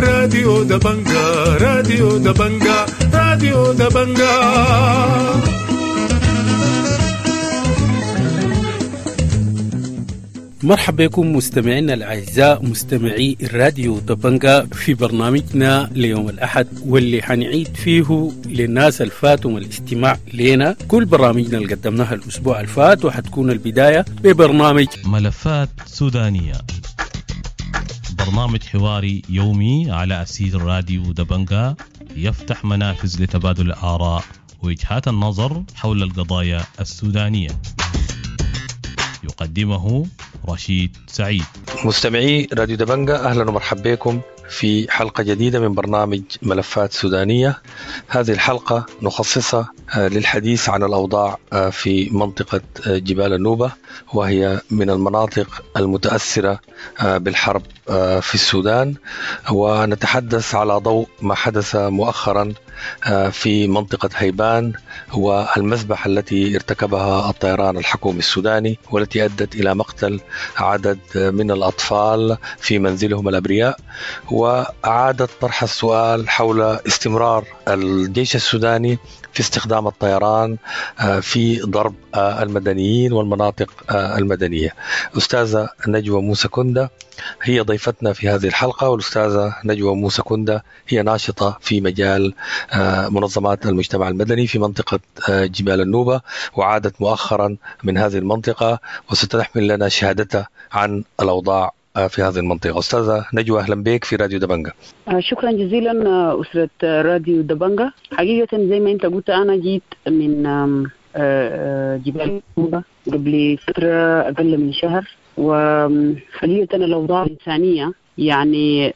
راديو دبنجا، راديو دبنجا، راديو دبنجا. مرحبا بكم مستمعينا الأعزاء مستمعي الراديو دبنجا في برنامجنا ليوم الأحد، واللي حنعيد فيه للناس الفاتهم الاستماع لنا كل برامجنا اللي قدمناها الأسبوع الفات، وحتكون البداية ببرنامج ملفات سودانية، برنامج حواري يومي على أسير راديو دبنجا يفتح منافذ لتبادل الآراء ووجهات النظر حول القضايا السودانية. يقدمه رشيد سعيد. مستمعي راديو دبنجا، أهلا ومرحبا بكم في حلقة جديدة من برنامج ملفات سودانية. هذه الحلقة نخصصها للحديث عن الأوضاع في منطقة جبال النوبة، وهي من المناطق المتأثرة بالحرب في السودان، ونتحدث على ضوء ما حدث مؤخرا في منطقة هيبان والمذبحة التي ارتكبها الطيران الحكومي السوداني، والتي أدت إلى مقتل عدد من الأطفال في منزلهم الأبرياء، وأعادت طرح السؤال حول استمرار الجيش السوداني في استخدام الطيران في ضرب المدنيين والمناطق المدنية. أستاذة نجوى موسى كندة هي ضيفتنا في هذه الحلقة، والأستاذة نجوى موسى كندة هي ناشطة في مجال منظمات المجتمع المدني في منطقة جبال النوبة، وعادت مؤخرا من هذه المنطقة وستحمل لنا شهادتها عن الأوضاع في هذه المنطقة. أستاذة نجوى، أهلا بك في راديو دبنجا. شكرا جزيلا أسرة راديو دبنجا. حقيقة زي ما أنت قلت، أنا جيت من جبال النوبة قبل فترة أقل من شهر، وحقيقة الأوضاع الإنسانية يعني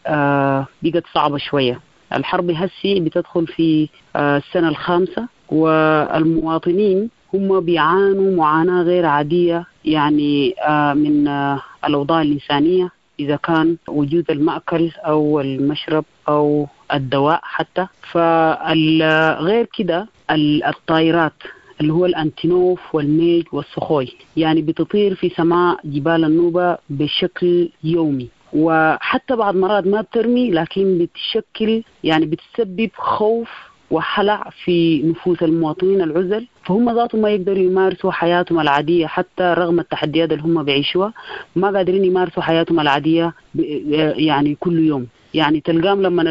بقت صعبة شوية. الحرب هسي بتدخل في السنة الخامسة، والمواطنين هم بيعانوا معاناة غير عادية يعني من الأوضاع الإنسانية، إذا كان وجود المأكل أو المشرب أو الدواء حتى. فغير كده الطائرات اللي هو الأنتينوف والميج والسخوي يعني بتطير في سماء جبال النوبة بشكل يومي، وحتى بعض مرات ما بترمي، لكن بتشكل يعني بتسبب خوف وحلع في نفوس المواطنين العزل، فهم ذاتهم ما يقدروا يمارسوا حياتهم العادية حتى رغم التحديات اللي هم بيعيشوها، ما قادرين يمارسوا حياتهم العادية يعني كل يوم. يعني تلقام لما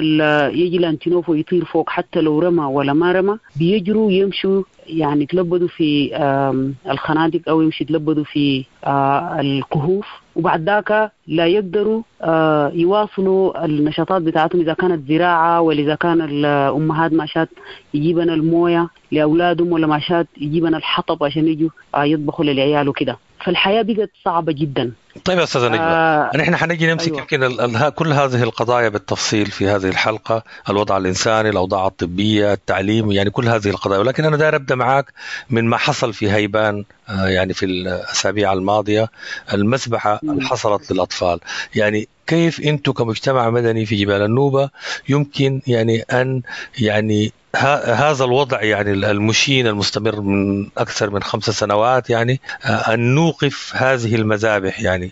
يجي الانتينوف ويطير فوق، حتى لو رمى ولا ما رمى، بيجروا يمشوا يعني يتلبدوا في الخنادق أو يمشي يتلبدوا في الكهوف، وبعد ذاك لا يقدروا يواصلوا النشاطات بتاعتهم، إذا كانت زراعة ولا إذا كان الأمهات ماشات يجيبن الموية لأولادهم، ولا ماشات يجيبن الحطب عشان يجوا يطبخوا للعيال وكده. فالحياة بقت صعبة جدا. طيب يا أستاذة نجوى، نحن حنجي نمسك يمكن كل هذه القضايا بالتفصيل في هذه الحلقة، الوضع الإنساني، الأوضاع الطبية، التعليم، يعني كل هذه القضايا، ولكن أنا داير أبدأ معاك من ما حصل في هيبان يعني في الأسابيع الماضية، المذبحة اللي حصلت للأطفال. يعني كيف أنتم كمجتمع مدني في جبال النوبة يمكن يعني أن يعني هذا الوضع يعني المشين المستمر من أكثر من 5 سنوات، يعني أن نوقف هذه المذابح، يعني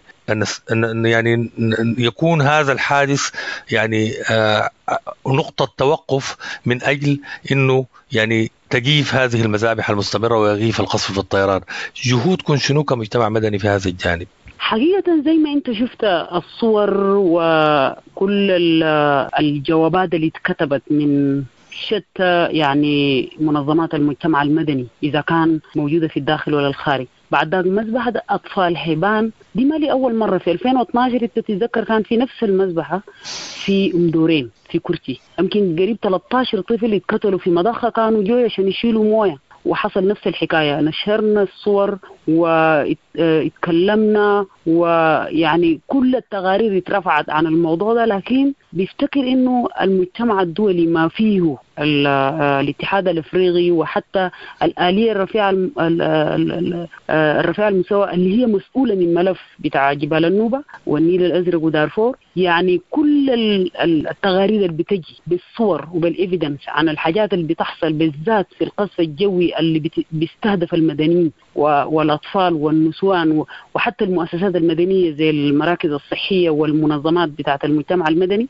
أن يعني يكون هذا الحادث يعني نقطة توقف من أجل أنه يعني تجيف هذه المذابح المستمرة ويغيف القصف في الطيران. جهودكم شنو كمجتمع مدني في هذا الجانب؟ حقيقة زي ما انت شفت الصور وكل الجوابات اللي اتكتبت من شتى يعني منظمات المجتمع المدني إذا كان موجودة في الداخل ولا الخارج، بعد ذاك مذبحة أطفال حيبان دي ما لي أول مرة. في 2012 تتذكر كان في نفس المذبحة في أم دورين في كرتي، يمكن قريب 13 طفل اتقتلوا في مضخة، كانوا جوي عشان يشيلوا موية، وحصل نفس الحكاية. نشرنا الصور واتكلمنا، ويعني كل التقارير اترفعت عن الموضوع ده، لكن بيفتكر انه المجتمع الدولي ما فيه الاتحاد الافريقي وحتى الآلية الرفيعة الرفيعة المستوى اللي هي مسؤولة من ملف بتاع جبال النوبة والنيل الازرق ودارفور، يعني كل التقارير اللي بتجي بالصور وبال evidence عن الحاجات اللي بتحصل بالذات في القصف الجوي اللي بيستهدف المدنيين والاطفال والنسوان وحتى المؤسسات المدنية زي المراكز الصحية والمنظمات بتاعة المجتمع المدني،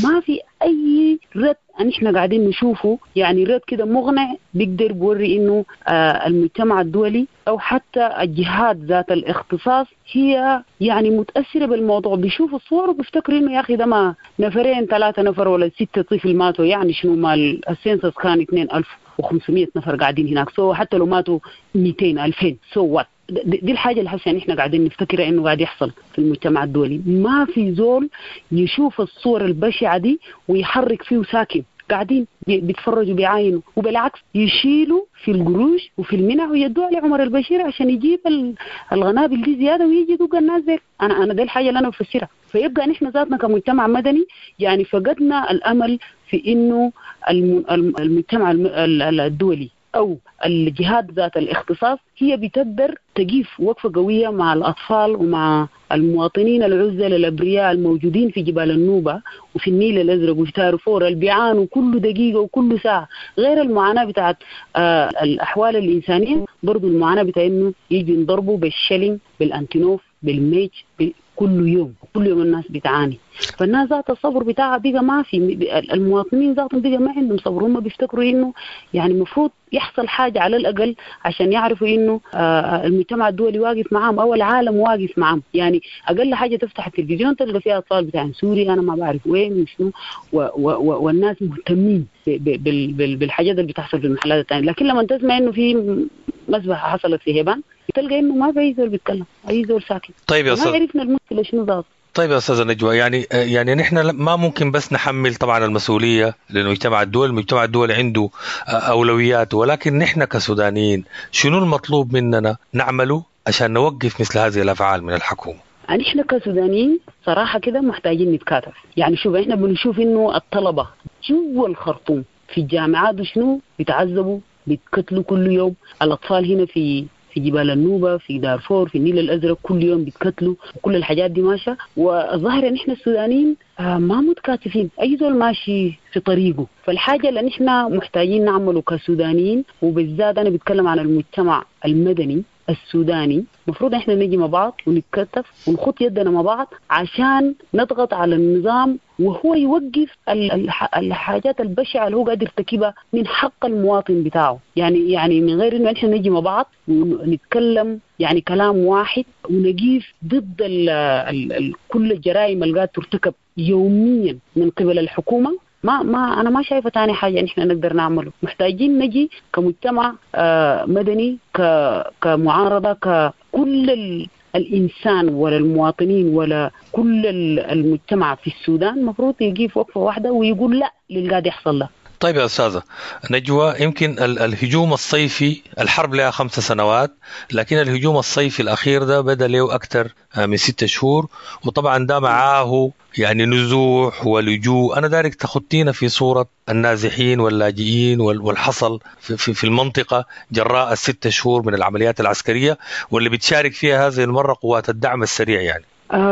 ما في أي رد نحن قاعدين نشوفه، يعني رد كده مقنع بيقدر بوري إنه المجتمع الدولي أو حتى الجهات ذات الاختصاص هي يعني متأثرة بالموضوع، بيشوفوا الصور وبيفتكروا إنه يا أخي ده ما نفرين 3 نفر ولا 6 طفل ماتوا، يعني شنو مال ال census كان 2500 نفر قاعدين هناك، so حتى لو ماتوا 200 2000 so what. دي الحاجة اللي حاسة إحنا قاعدين نفتكرها إنه قاعد يحصل في المجتمع الدولي. ما في زول يشوف الصور البشعة دي ويحرك فيه ساكن، قاعدين بيتفرجوا بيعاينوا، وبالعكس يشيلوا في القروش وفي المنع ويدوها لعمر البشير عشان يجيب الغنابل دي زيادة ويجي يدق الناس دي. أنا دي الحاجة اللي أنا بفسرها. فيبقى نحن ذاتنا كمجتمع مدني يعني فقدنا الأمل في إنه المجتمع الدولي أو الجهات ذات الاختصاص هي بتقدر تقيف وقفة قوية مع الأطفال ومع المواطنين العزل الأبرياء الموجودين في جبال النوبة وفي النيل الأزرق وفي دارفور اللي بيعانوا كل دقيقة وكل ساعة، غير المعاناة بتاعت الأحوال الإنسانية، برضو المعاناة بتاع إنه يجوا ينضربوا بال shelling بالأنتينوف بالميج كل يوم، كل يوم الناس بتعاني. فالناس ذات الصبر بتاعها بقى ما في، المواطنين ذاتهم بقى ما عندهم صبر، هم بيفتكروا إنه يعني المفروض يحصل حاجة على الأقل عشان يعرفوا إنه المجتمع الدولي واقف معاهم أو العالم واقف معاهم. يعني أقل حاجة تفتح التلفزيون تلقى فيها أطفال بتاع سوريا أنا ما بعرف وين وشنو، والناس مهتمين بالحاجات اللي بتحصل في المحلات الثانية. لكن لما تسمع إنه في مذبحة حصلت في هيبان تلقى إنه ما في أي زول بيتكلم، أي زول ساكت. طيب يا أستاذ، ما عرفنا المشكلة شنو ذات. طيب يا أستاذة نجوى، يعني نحن ما ممكن بس نحمل طبعا المسؤولية للمجتمع الدولي، المجتمع الدولي عنده أولويات، ولكن نحن كسودانيين شنو المطلوب مننا نعمله عشان نوقف مثل هذه الأفعال من الحكومة؟ نحن كسودانيين صراحة كده محتاجين نتكاتف. يعني شوف احنا بنشوف إنه الطلبة جوا الخرطوم في الجامعات وشنو بيتعذبوا بيتقتلوا كل يوم، الأطفال هنا في جبال النوبة في دارفور في النيل الأزرق كل يوم بيتقتلوا، وكل الحاجات دي ماشية. والظاهر إن إحنا السودانيين ما متكاتفين، أي زول ماشي في طريقه. فالحاجة اللي نحن محتاجين نعمله كسودانيين، وبالذات أنا بتكلم عن المجتمع المدني السوداني، مفروض إحنا نجي مع بعض ونتكتف ونخط يدنا مع بعض عشان نضغط على النظام وهو يوقف الحاجات البشعة اللي هو قادر يرتكبها من حق المواطن بتاعه. يعني من غير إنه إحنا نجي مع بعض ونتكلم يعني كلام واحد ونقيف ضد كل الجرائم اللي قاعدة ترتكب يوميا من قبل الحكومة، ما أنا ما شايفة تاني حاجة نحن نقدر نعمله. محتاجين نجي كمجتمع مدني، كمعارضة، ككل الإنسان ولا المواطنين ولا كل المجتمع في السودان مفروض يقف وقفة واحدة ويقول لا للي قاعد يحصل له. طيب يا أستاذة نجوى، يمكن الهجوم الصيفي، الحرب لها 5 سنوات، لكن الهجوم الصيفي الأخير ده بدأ له أكثر من 6 شهور، وطبعا ده معاه يعني نزوح ولجوء. أنا دارك تخطينا في صورة النازحين واللاجئين والحصل في المنطقة جراء 6 شهور من العمليات العسكرية واللي بتشارك فيها هذه المرة قوات الدعم السريع. يعني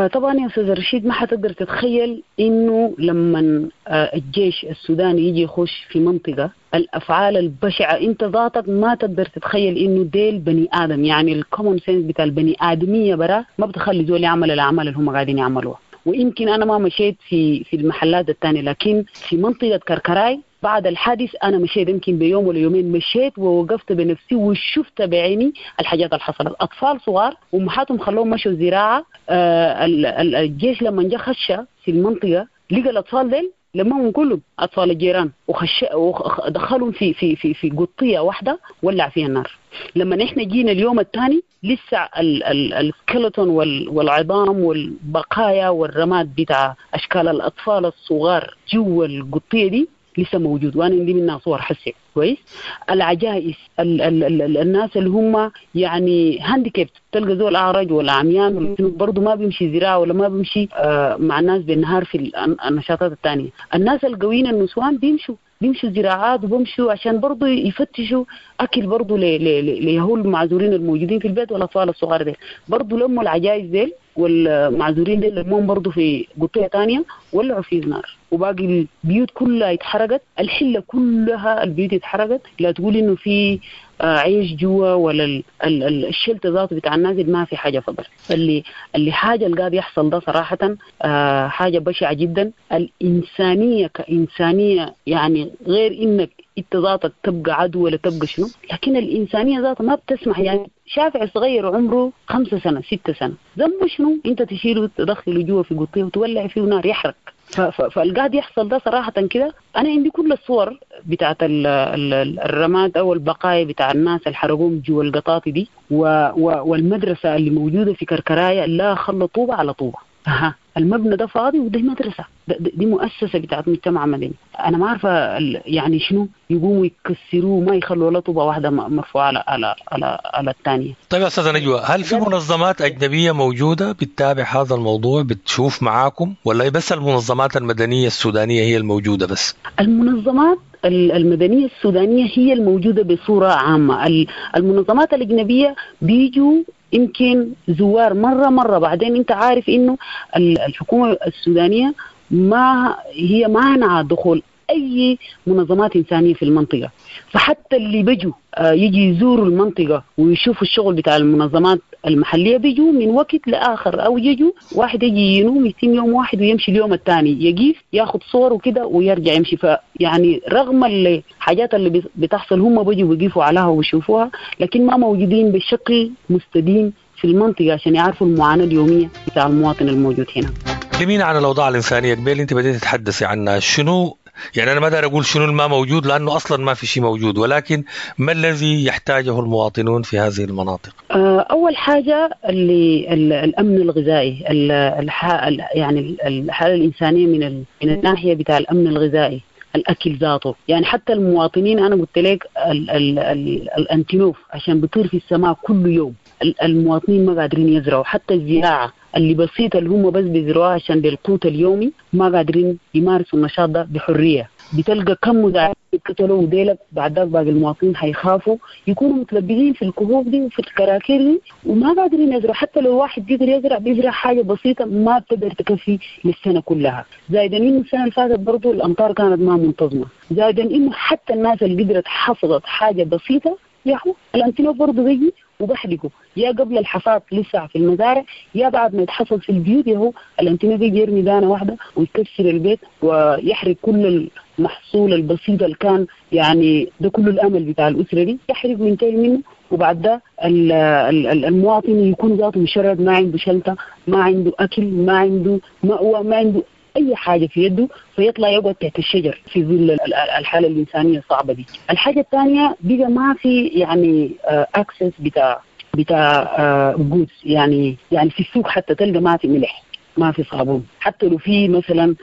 طبعا يا أستاذ رشيد، ما حتقدر تتخيل إنه لما الجيش السوداني يجي يخش في منطقة الأفعال البشعة أنت ذاتك ما تقدر تتخيل إنه ديل بني آدم. يعني ال common sense بتاع البني آدمية برا ما بتخلي زول يعمل الأعمال اللي هم قاعدين يعملوها. ويمكن أنا ما مشيت في المحلات الثانية، لكن في منطقة كركراي بعد الحادث أنا مشيت يمكن بيوم ولا يومين، مشيت ووقفت بنفسي وشفت بعيني الحاجات اللي حصلت. أطفال صغار وأمهاتهم خلوهم مشوا زراعة. الجيش لما جاء خش في المنطقة لقى الأطفال ديل لمهم كلهم أطفال الجيران ودخلهم في في في في قطية واحدة ولع فيها النار. لما نحن جينا اليوم الثاني لسه السكeleton والعظام والبقايا والرماد بتاع أشكال الأطفال الصغار جوا القطية دي لسه موجود، وانا عندي منها صور حسي كويس. العجائز ال ال ال الناس اللي هم يعني handicapped، تلقى زول اعرج ولا عميان برضه ما بيمشي زراعه ولا ما بيمشي مع الناس بالنهار في النشاطات الثانيه. الناس القويين النسوان بيمشوا زراعات وبمشوا عشان برضه يفتشوا اكل برضه ليهول المعذورين الموجودين في البيت والاطفال الصغار ديل. برضه لموا العجائز ديل والمعذورين ديل لموهم برضه في قطيه ثانيه ولعوا في النار. وباقي البيوت كلها اتحرقت، الحلة كلها البيوت اتحرقت. لا تقول إنه في عيش جوا ولا ال shelter ذاته بتاع النازل، ما في حاجة فضل. اللي حاجة اللي قاعد يحصل ده صراحة حاجة بشعة جدا. الإنسانية كإنسانية يعني غير إنك انت ذاتك تبقى عدو ولا تبقى شنو، لكن الإنسانية ذاتها ما بتسمح. يعني شافع صغير عمره 5 سنة 6 سنة ذنبه شنو؟ انت تشيله تدخله جوا في قطيه وتولع فيه نار يحرق. فالقاعد يحصل ده صراحة كده. أنا عندي كل الصور بتاعت الرماد أو البقايا بتاع الناس اللي حرقوهم جوا القطاطي دي، والمدرسة اللي موجودة في كركراية لا خلى طوبة على طوبة. المبنى ده فاضي وده مدرسة، دي مؤسسة بتاعت مجتمع مدني. أنا ما عارفة يعني شنو يقوموا يكسروه، ما يخلوا ولا طوبة واحدة مرفوعة على على على, على الثانية. طيب يا أستاذة نجوى، هل في منظمات أجنبية موجودة بتتابع هذا الموضوع، بتشوف معاكم، ولا بس المنظمات المدنية السودانية هي الموجودة بس؟ المنظمات المدنية السودانية هي الموجودة بصورة عامة. المنظمات الأجنبية بيجوا يمكن زوار مرة، بعدين انت عارف انه الحكومة السودانية ما هي مانعة دخول اي منظمات انسانية في المنطقة، فحتى اللي بيجوا يجي يزوروا المنطقة ويشوفوا الشغل بتاع المنظمات المحلية بيجوا من وقت لآخر، أو يجوا واحد يجي ينوم يتم يوم واحد ويمشي اليوم الثاني، يجيف ياخد صور وكده ويرجع يمشي. فيعني رغم الحاجات اللي بتحصل هم بيجوا بيقفوا عليها ويشوفوها، لكن ما موجودين بشكل مستديم في المنطقة عشان يعرفوا المعاناة اليومية بتاع المواطن الموجود هنا. كلمينا عن الأوضاع الإنسانية قبل أنت بديت تتحدثي عنها، شنو يعني أنا ما دار أقول شنو ما موجود لأنه أصلا ما في شيء موجود، ولكن ما الذي يحتاجه المواطنون في هذه المناطق؟ أول حاجة اللي الأمن الغذائي، يعني الحالة الإنسانية من الناحية بتاع الأمن الغذائي، الأكل ذاته. يعني حتى المواطنين أنا قلت لك الأنتينوف عشان بيطير في السماء كل يوم، المواطنين ما قادرين يزرعوا. حتى الزراعة اللي بسيطة اللي هم بس بيزرعوها عشان للقوت اليومي ما قادرين يمارسوا النشاط ده بحرية. بتلقى كم مزارعين قتلوا وديلك، بعد ذاك باقي المواطنين حيخافوا يكونوا متلبدين في الكهوف دي وفي الكراكير دي وما قادرين يزرعوا. حتى لو واحد قدر يزرع بيزرع حاجة بسيطة ما بتقدر تكفي للسنة كلها. زائدا إنه السنة اللي فاتت برضو الأمطار كانت ما منتظمة، زائدا إنه حتى الناس اللي قدرت حصدت حاجة بسيطة ياهو الأنتينوف برضو بيجي وبحرقه، يا قبل الحصاد لسه في المزارع يا بعد ما يتحصد في البيوت. يهو الأنتينوف بيجي يرمي دانة واحدة ويكسر البيت ويحرق كل المحصول البسيط اللي كان، يعني ده كل الأمل بتاع الأسرة دي يحرق وينتهي منه. وبعد ده المواطن يكون ذاته مشرد، ما عنده شلتة، ما عنده أكل، ما عنده مأوى، ما عنده أي حاجة في يده، فيطلع يقعد تحت الشجر في ظل الحالة الإنسانية الصعبة دي. الحاجة الثانية بقى ما في يعني access بتاع goods، يعني في السوق حتى تلقى ما في ملح، ما في صابون. حتى لو في مثلا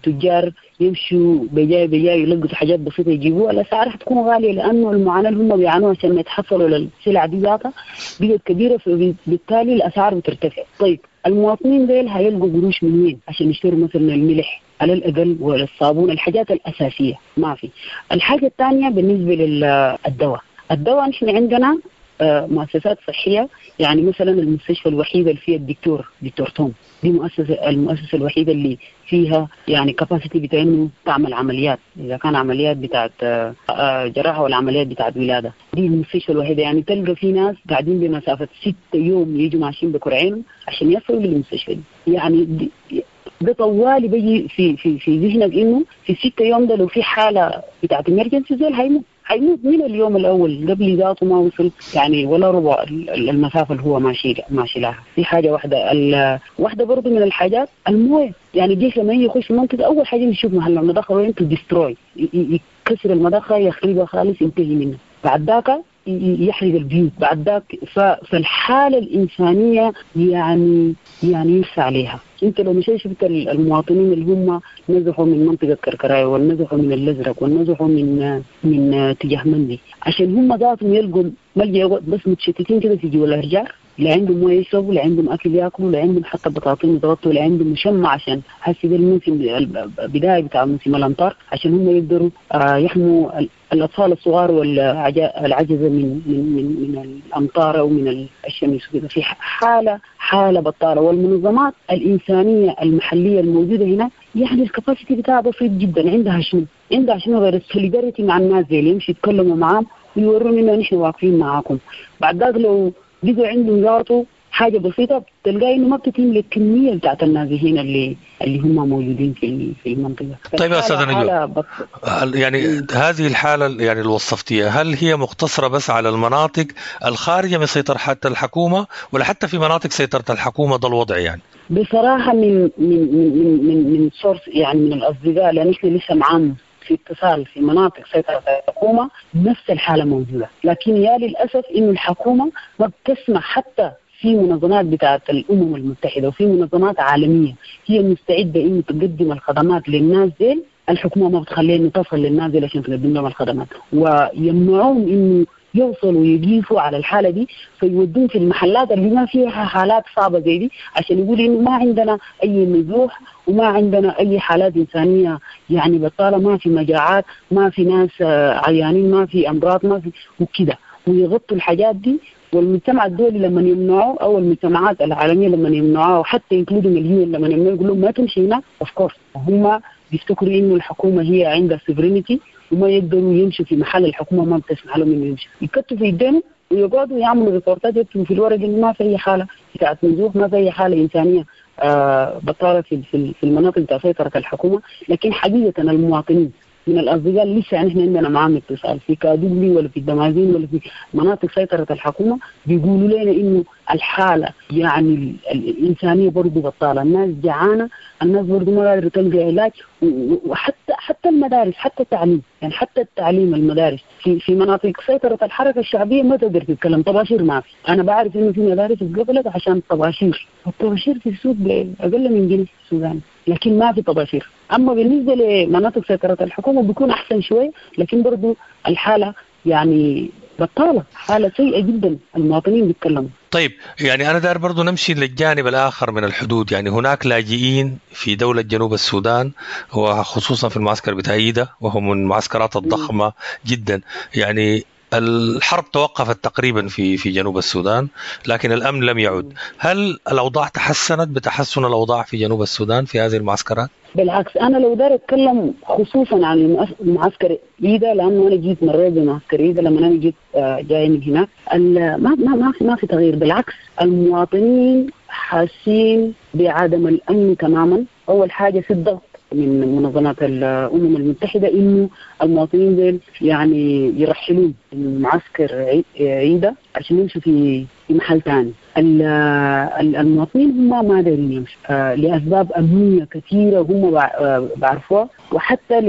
تجار يمشوا بجاي يلقوا حاجات بسيطة يجيبوها، الأسعار حتكون غالية لأنه المعاناة اللي هم بيعانوها عشان ما يتحصلوا للسلع دي ذاتها بقت كبيرة، فبالتالي الأسعار بترتفع. طيب المواطنين ديل هيلقوا قروش من وين عشان يشتروا مثلا الملح على الأقل ولا الصابون، الحاجات الأساسية ما في. الحاجة الثانية بالنسبة للدواء، الدواء نحن عندنا مؤسسات صحية، يعني مثلا المستشفى الوحيدة اللي فيها الدكتور دكتور توم، دي المؤسسة الوحيدة اللي فيها يعني كاباسيتي بتاع انه تعمل عمليات، اذا كان عمليات بتاعت جراحة ولا عمليات بتاعت ولادة، دي المستشفى الوحيدة. يعني تلقى في ناس قاعدين بمسافة 6 يوم يجوا ماشيين بكرعينهم عشان يصلوا للمستشفى دي. يعني ده طوالي بيجي في في في ذهنك انه في 6 يوم ده لو في حالة بتاعت emergency زول هيموت من اليوم الأول قبل ذاته ما وصل يعني ولا ربع المسافة اللي هو ماشي لها. دي حاجة واحدة. واحدة برضو من الحاجات الموية، يعني الجيش لما يجي يخش المنطقة أول حاجة يشوف محل المضخة وين to destroy، يكسر المضخة يخربها خالص ينتهي منه، بعد ذاك يحرق البيوت بعد ذاك. فالحالة الإنسانية يعني يرسى عليها. انت لو مشيت شفت المواطنين اللي هم نزحوا من منطقة كركراي والنزحوا من الأزرق والنزحوا من تجاه مندي، عشان هم ذاتهم يلقوا ملجأ، بس متشتتين كده في جوا الأشجار، لا عندهم مويه يشربوا، لا عندهم اكل ياكلوا، لا عندهم حتى بطاطين يتغطوا، لا عندهم مشمع عشان هسه ده الموسم البدايه بتاع موسم الامطار، عشان هم يقدروا يحموا الاطفال الصغار والعجزه من من من من الامطار او من الشمس وكده. في حاله بطاله. والمنظمات الانسانيه المحليه الموجوده هنا يعني ال capacity بتاعها بسيط جدا. عندها شنو؟ عندها شنو غير ال solidarity مع الناس دي اللي يمشي يتكلموا معاهم ويورون انه نحن واقفين معاكم. بعد ذاك لو بقوا عندهم ذاته حاجة بسيطة تلقى انه ما بتتم للكميه بتاعت النازحين اللي هم موجودين في المنطقة. طيب يا استاذه نجوى، يعني هذه الحالة يعني اللي وصفتيها، هل هي مقتصرة بس على المناطق الخارجة من سيطرة حتى الحكومة، ولا حتى في مناطق سيطرة الحكومة ده الوضع؟ يعني بصراحة من من من من من source يعني من الاصدقاء، لان احنا لسه معاهم في اتصال في مناطق سيطرة الحكومة، نفس الحالة موجودة. لكن يا للأسف إنه الحكومة ما بتسمح، حتى في منظمات بتاعت الأمم المتحدة وفي منظمات عالمية هي مستعدة إنه تقدم الخدمات للناس ديل، الحكومة ما بتخليها إنه تصل للناس ديل عشان تقدم لهم الخدمات، ويمنعوهم إنه يوصلوا ويقيفوا على الحالة دي، فيودون في المحلات اللي ما فيها حالات صعبة زي دي عشان يقولوا إنه ما عندنا أي نزوح وما عندنا أي حالات إنسانية يعني بطالة، ما في مجاعات، ما في ناس عيانين، ما في أمراض، ما في وكده، ويغطوا الحاجات دي. والمجتمع الدولي لما يمنعوه أو المجتمعات العالمية لما يمنعوه، وحتى including ال UN لما يمنعوه يقولوا ما تمشي هنا، of course هم بيفتكروا إنه الحكومة هي عندها sovereignty وما يقدروا يمشوا في محل الحكومة ما بتسمح لهم إنه يمشوا، يكتفوا يدينهم ويقعدوا يعملوا report ات يكتبوا في الورق إنه ما في أي حالة بتاعت نزوح، ما في أي حالة إنسانية بطالة في المناطق بتاع سيطرة الحكومة. لكن حقيقة المواطنين من الأصدقاء لسه يعني إحنا عندنا معاهم اتصال في كادوبلي ولا في الدمازين ولا في مناطق سيطرة الحكومة، بيقولوا لنا إنه الحالة يعني الإنسانية برضو بطالة، الناس جعانة، الناس برضو ما قادرة تلقى علاج، وحتى حتى المدارس، حتى التعليم، يعني حتى التعليم المدارس في مناطق سيطرة الحركة الشعبية ما تقدر تتكلم، طباشير ما في. أنا بعرف إنه في مدارس اتقفلت عشان طباشير، الطباشير في السوق بأقل من جنيه في السودان، لكن ما في طباشير. أما بالنسبة لمناطق سيطرة الحكومة بيكون أحسن شوي، لكن برضو الحالة يعني بطالة، حالة سيئة جدا، المواطنين بيتكلموا. طيب يعني أنا داير برضو نمشي للجانب الآخر من الحدود، يعني هناك لاجئين في دولة جنوب السودان وخصوصا في المعسكر بتاع إيدا، وهو من المعسكرات الضخمة جدا. يعني الحرب توقفت تقريبا في جنوب السودان، لكن الأمن لم يعد. هل الأوضاع تحسنت بتحسن الأوضاع في جنوب السودان في هذه المعسكرات؟ بالعكس، أنا لو دار أتكلم خصوصا عن المعسكر إيدا، لأنه أنا جيت مريت بمعسكر إيدا لما أنا جيت جاي من هناك، ما في تغيير. بالعكس المواطنين حاسين بعدم الأمن تماما. أول حاجة في الضغط من منظمات الأمم المتحدة إنه المواطنين دول يعني يرحلون من معسكر عيدة عشان يمشوا في محل تاني. المواطنين هم ما دارين يمشوا لأسباب أمنية كثيرة هم بعرفوها، وحتى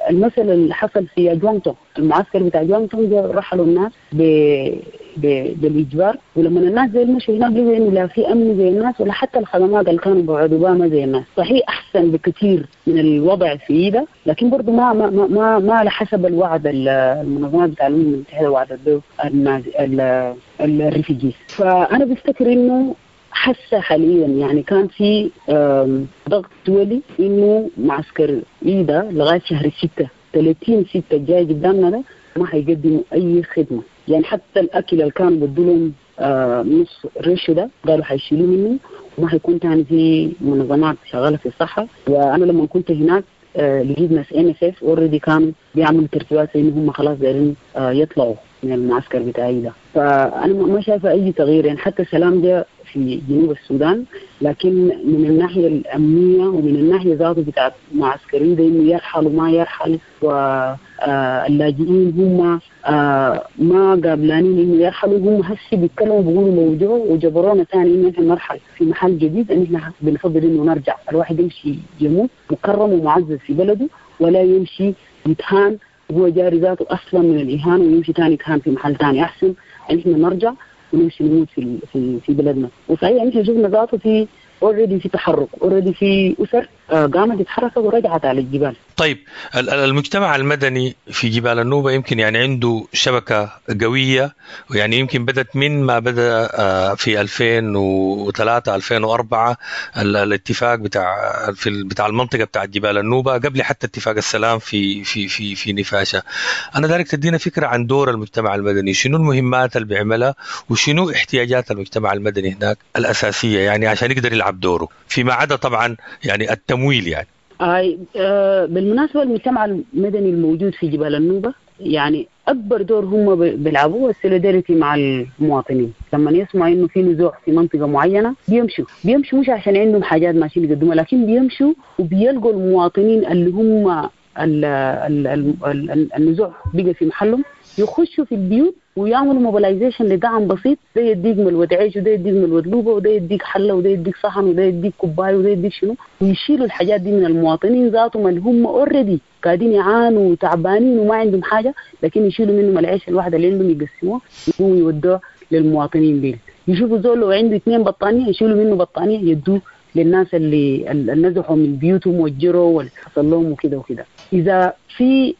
المسألة اللي حصل في جوانتون، المعسكر بتاع جوانتون رحلوا الناس بالإجبار، ولما الناس زي المشوا هناك لقوا إنه لا في أمن زي الناس ولا حتى الخدمات اللي كانوا بيقعدوا بها ما زي الناس. صحيح أحسن بكثير من الوضع في إيدا، لكن برضو ما ما ما ما على حسب الوعد المنظمات بتاع الأمم المتحدة وعدت به ال refugees. فأنا بفتكر إنه حاسة حاليا يعني كان في ضغط دولي إنه معسكر إيدا لغاية شهر 6 30/6 الجاي قدامنا ده ما حيقدموا أي خدمة. يعني حتى الأكل اللي كانوا بدولهم نص ريش ده قالوا حيشيلوه منه، وما حيكون تاني في منظمات شغالة في الصحة. وأنا لما كنت هناك لقيت ناس MSF already كانوا بيعملوا ترتيبات إن هم خلاص دايرين يطلعوا من المعسكر بتاعي ده. فأنا ما شايفة أي تغيير، يعني حتى السلام ده في جنوب السودان، لكن من الناحية الأمنية ومن الناحية ذاته بتاعت معسكرين ده إنه يرحل وما يرحل، واللاجئين هم ما قابلانين إنه يرحلوا، هم هسي بيتكلموا بيقولوا لو جو وجبرونا ثاني إنه إحنا نرحل في محل جديد، إن إحنا بنفضل إنه نرجع. الواحد يمشي يموت مكرم ومعزز في بلده، ولا يمشي يتهان وهو جاري ذاته أصلا من الإهانة ويمشي ثاني يتهان في محل ثاني. أحسن إن إحنا نرجع ونمشي نموت في في بلدنا. وصحيح إحنا شفنا ذاته في already في تحرك، already في أسر قامت تتحرك ورجعت على الجبال. طيب المجتمع المدني في جبال النوبة يمكن يعني عنده شبكة قوية، ويعني يمكن بدأت من ما بدأ في 2003 2004 الاتفاق بتاع المنطقة بتاع جبال النوبة قبل حتى اتفاق السلام في في في في نفاشة. أنا ذلك تدينا فكرة عن دور المجتمع المدني، شنو المهمات اللي بيعملها وشنو احتياجات المجتمع المدني هناك الأساسية يعني عشان يقدر يلعب دوره فيما عدا طبعا يعني التمويل يعني. بالمناسبة المجتمع المدني الموجود في جبال النوبة يعني أكبر دور هم بيلعبوه ال solidarity مع المواطنين. لما يسمعوا إنه في نزوح في منطقة معينة بيمشوا مش عشان عندهم حاجات ماشيين يقدموها، لكن بيمشوا وبيلقوا المواطنين اللي هم النزوح بقى في محلهم، يخشوا في البيوت ويعملوا mobilization لدعم بسيط. ده يديك ملوة عيش، وده يديك ملوة لوبة، وده يديك حلة، وده يديك صحن، وده يديك كوباية، وده يديك شنو، ويشيلوا الحاجات دي من المواطنين ذاتهم اللي هم already قاعدين يعانوا وتعبانين وما عندهم حاجة، لكن يشيلوا منهم العيش الواحد اللي عندهم يقسموه يقوموا يودوه للمواطنين دي. يشوفوا زول لو عنده 2 بطانية يشيلوا منه بطانية يدوه للناس اللي نزحوا من بيوتهم وجروا واللي حصل لهم وكده وكده. إذا في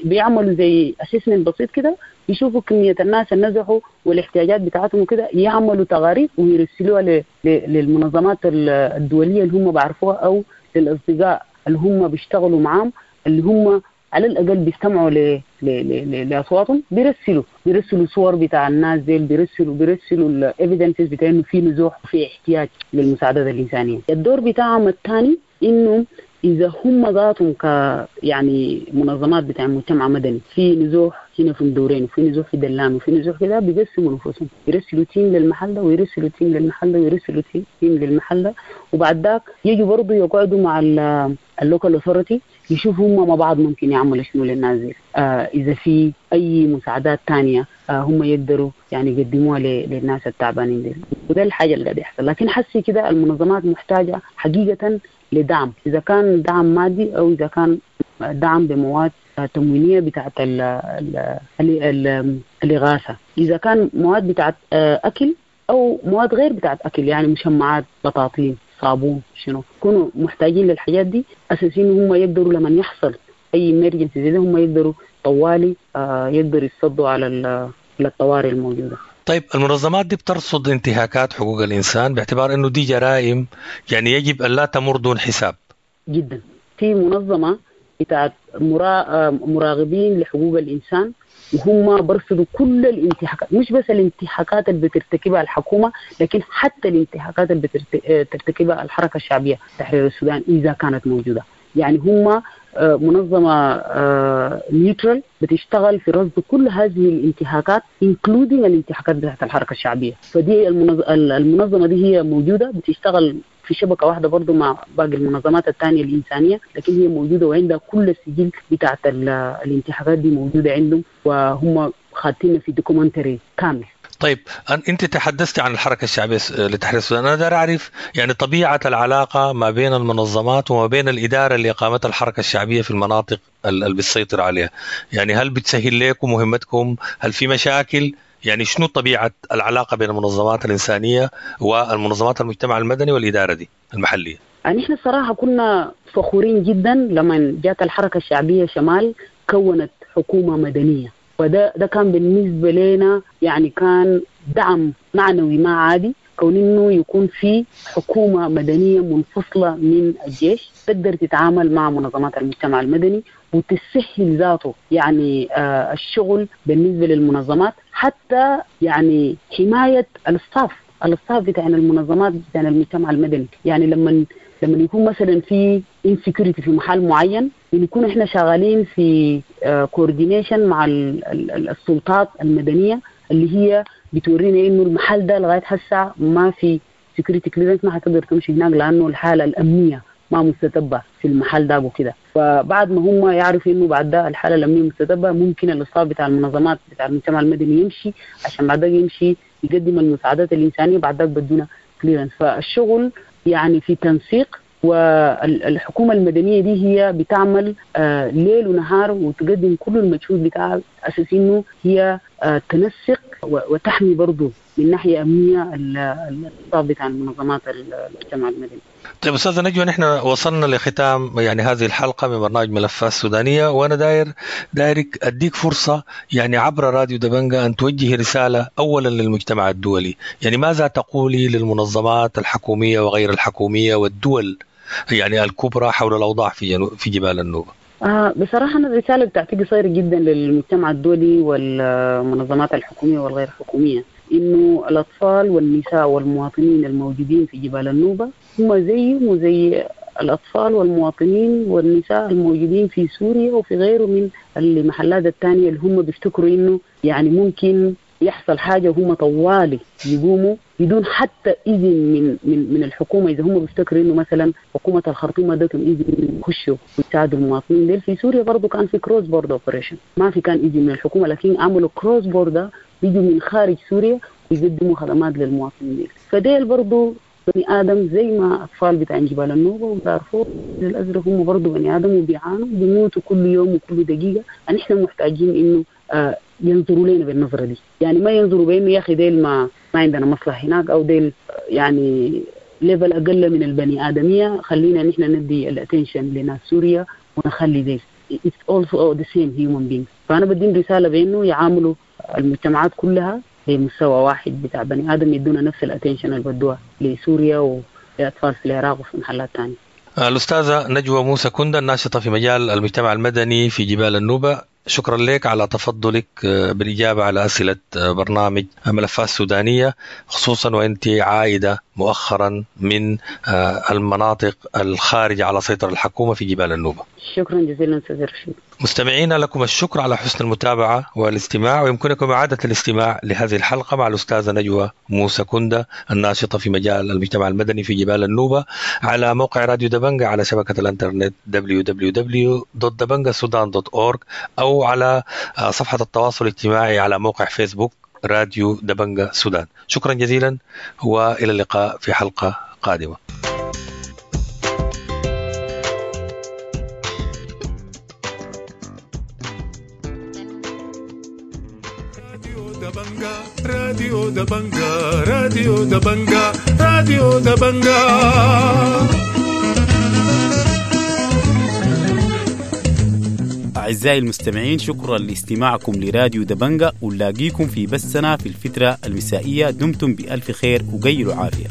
بيعملوا زي assessment بسيط كده، يشوفوا كمية الناس اللي نزحوا والاحتياجات بتاعتهم وكده، يعملوا تقارير ويرسلوها للمنظمات الدولية اللي هم بعرفوها أو للأصدقاء اللي هم بيشتغلوا معاهم، اللي هم على الأقل بيستمعوا لأصواتهم. بيرسلوا صور بتاع الناس دي، بيرسلوا ال evidences بتاع إنه في نزوح وفي احتياج للمساعدات الإنسانية. الدور بتاعهم الثاني إنه إذا هم ذاتهم ك يعني منظمات بتاع مجتمع مدني في نزوح هنا في مدورين وفي نزوح في دلام وفي نزوح كده، بيقسموا نفوسهم، يرسلوا team للمحل ده ويرسلوا team للمحل ده ويرسلوا team للمحل ده، وبعد ذاك يجوا برضه يقعدوا مع ال local authority يشوفوا هم مع بعض ممكن يعملوا شنو للناس دي. إذا في أي مساعدات تانية هم يقدروا يعني يقدموها للناس التعبانين دي. وده الحاجة اللي قاعد يحصل. لكن حسي كده المنظمات محتاجة حقيقة لدعم، إذا كان دعم مادي أو إذا كان دعم بمواد تموينية بتاعت الإغاثة، إذا كان مواد بتاعت أكل أو مواد غير بتاعت أكل، يعني مشمعات، بطاطين، صابون، شنو، كانوا محتاجين للحاجات دي أساسين هم يقدروا لما يحصل أي emergency زي ده هم يقدروا طوالي يقدروا يتصدوا على الطوارئ الموجودة. طيب المنظمات دي بترصد انتهاكات حقوق الإنسان باعتبار أنه دي جرائم يعني يجب أن لا تمر دون حساب. جدا. في منظمة بتاعت مراقبين لحقوق الإنسان، وهم برصدوا كل الانتهاكات، مش بس الانتهاكات اللي بترتكبها الحكومة، لكن حتى الانتهاكات اللي بترتكبها الحركة الشعبية تحرير السودان إذا كانت موجودة. يعني هم منظمة neutral بتشتغل في رصد كل هذه الانتهاكات including الانتهاكات بتاعت الحركة الشعبية. فدي المنظمة دي هي موجودة بتشتغل في شبكة واحدة برضو مع باقي المنظمات الثانية الإنسانية، لكن هي موجودة وعندها كل السجل بتاعت الانتهاكات دي موجودة عندهم، وهم خاطين في documentary كامل. طيب أنت تحدثت عن الحركة الشعبية لتحرير السودان، أنا دار أعرف يعني طبيعة العلاقة ما بين المنظمات وما بين الإدارة اللي قامتها الحركة الشعبية في المناطق اللي بتسيطر عليها، يعني هل بتسهل لكم مهمتكم؟ هل في مشاكل؟ يعني شنو طبيعة العلاقة بين المنظمات الإنسانية والمنظمات المجتمع المدني والإدارة دي المحلية؟ نحن الصراحة كنا فخورين جدا لما جات الحركة الشعبية شمال كونت حكومة مدنية، وده ده كان بالنسبة لنا يعني كان دعم معنوي ما عادي، كون إنه يكون في حكومة مدنية منفصلة من الجيش تقدر تتعامل مع منظمات المجتمع المدني وتسهل ذاته يعني الشغل بالنسبة للمنظمات، حتى يعني حماية ال staff بتاع المنظمات بتاع المجتمع المدني. يعني لما يكون مثلا في insecurity في محل معين، بنكون احنا شغالين في coordination مع السلطات المدنية اللي هي بتورينا انه المحل ده لغاية هسه ما في security clearance، ما حتقدر تمشي هناك لانه الحالة الامنية ما مستتبه في المحل ده وكده. فبعد ما هم يعرفوا انه بعد ده الحالة الامنية مستتبه، ممكن ال staff بتاع المنظمات بتاع المجتمع المدني يمشي، عشان بعد ده يمشي يقدم المساعدات الانسانية، بعد ده بدونا clearance. فالشغل يعني في تنسيق، والحكومة المدنية دي هي بتعمل ليل ونهار وتقدم كل المجهود بتاعها أساس إنه هي تنسق وتحمي برضو من ناحية أمنية ال staff بتاع المنظمات المجتمع المدني. طيب أستاذة نجوى، نحن وصلنا لختام يعني هذه الحلقة من برنامج ملفات السودانية، وأنا دايرك أديك فرصة يعني عبر راديو دبنجة أن توجهي رسالة أولا للمجتمع الدولي، يعني ماذا تقولي للمنظمات الحكومية وغير الحكومية والدول يعني الكبرى حول الأوضاع في جبال النوبة؟ بصراحة أنا الرسالة بتاعتي قصيرة جدا للمجتمع الدولي والمنظمات الحكومية والغير حكومية، إنه الأطفال والنساء والمواطنين الموجودين في جبال النوبة هم زيهم وزي الأطفال والمواطنين والنساء الموجودين في سوريا وفي غيره من المحلات الثانية اللي هم بيفتكروا إنه يعني ممكن يحصل حاجة وهم طوالي يقوموا بدون حتى إذن من من من الحكومة. إذا هم بيفتكروا إنه مثلا حكومة الخرطوم ادتهم إذن يخشوا ويساعدوا المواطنين ديل. في سوريا برضو كان في cross border operation، ما في كان إذن من الحكومة، لكن عملوا cross border، بيجوا من خارج سوريا ويقدموا خدمات للمواطنين ديل. فديل برضو بني آدم زي ما أطفال بتاع جبال النوبة ودارفور الأزرق، هم برضو بني آدم وبيعانوا بيموتوا كل يوم وكل دقيقة. نحن محتاجين إنه ينظروا لنا بالنظرة دي، يعني ما ينظروا بإنه يا أخي ديل ما عندنا مصلحة هناك، أو ديل يعني level أقل من البني آدمية، خلينا نحن ندي ال attention لناس سوريا ونخلي ديل. It's also the same human beings. فأنا بدين رسالة بإنه يعاملوا المجتمعات كلها بمستوى واحد بتاع بني آدم، يدونا نفس ال attention اللي بدوها لسوريا ولأطفال في العراق وفي محلات تانية. الأستاذة نجوى موسى كندا، الناشطة في مجال المجتمع المدني في جبال النوبة، شكرا لك على تفضلك بالإجابة على أسئلة برنامج ملفات سودانية، خصوصا وأنت عائدة مؤخرا من المناطق الخارجة على سيطرة الحكومة في جبال النوبة. شكرا جزيلا أستاذ رشيد. مستمعينا لكم الشكر على حسن المتابعة والاستماع، ويمكنكم إعادة الاستماع لهذه الحلقة مع الأستاذة نجوى موسى كندا الناشطة في مجال المجتمع المدني في جبال النوبة على موقع راديو دبنجا على شبكة الانترنت www.dabangasudan.org، أو على صفحة التواصل الاجتماعي على موقع فيسبوك راديو دبنجا سودان. شكرا جزيلا وإلى اللقاء في حلقة قادمة. راديو دبنجا، راديو دبنجا، راديو دبنجا. أعزائي المستمعين، شكرا لاستماعكم لراديو دبنجا، ونلاقيكم في بثنا في الفترة المسائية. دمتم بألف خير وقيلوا عافية.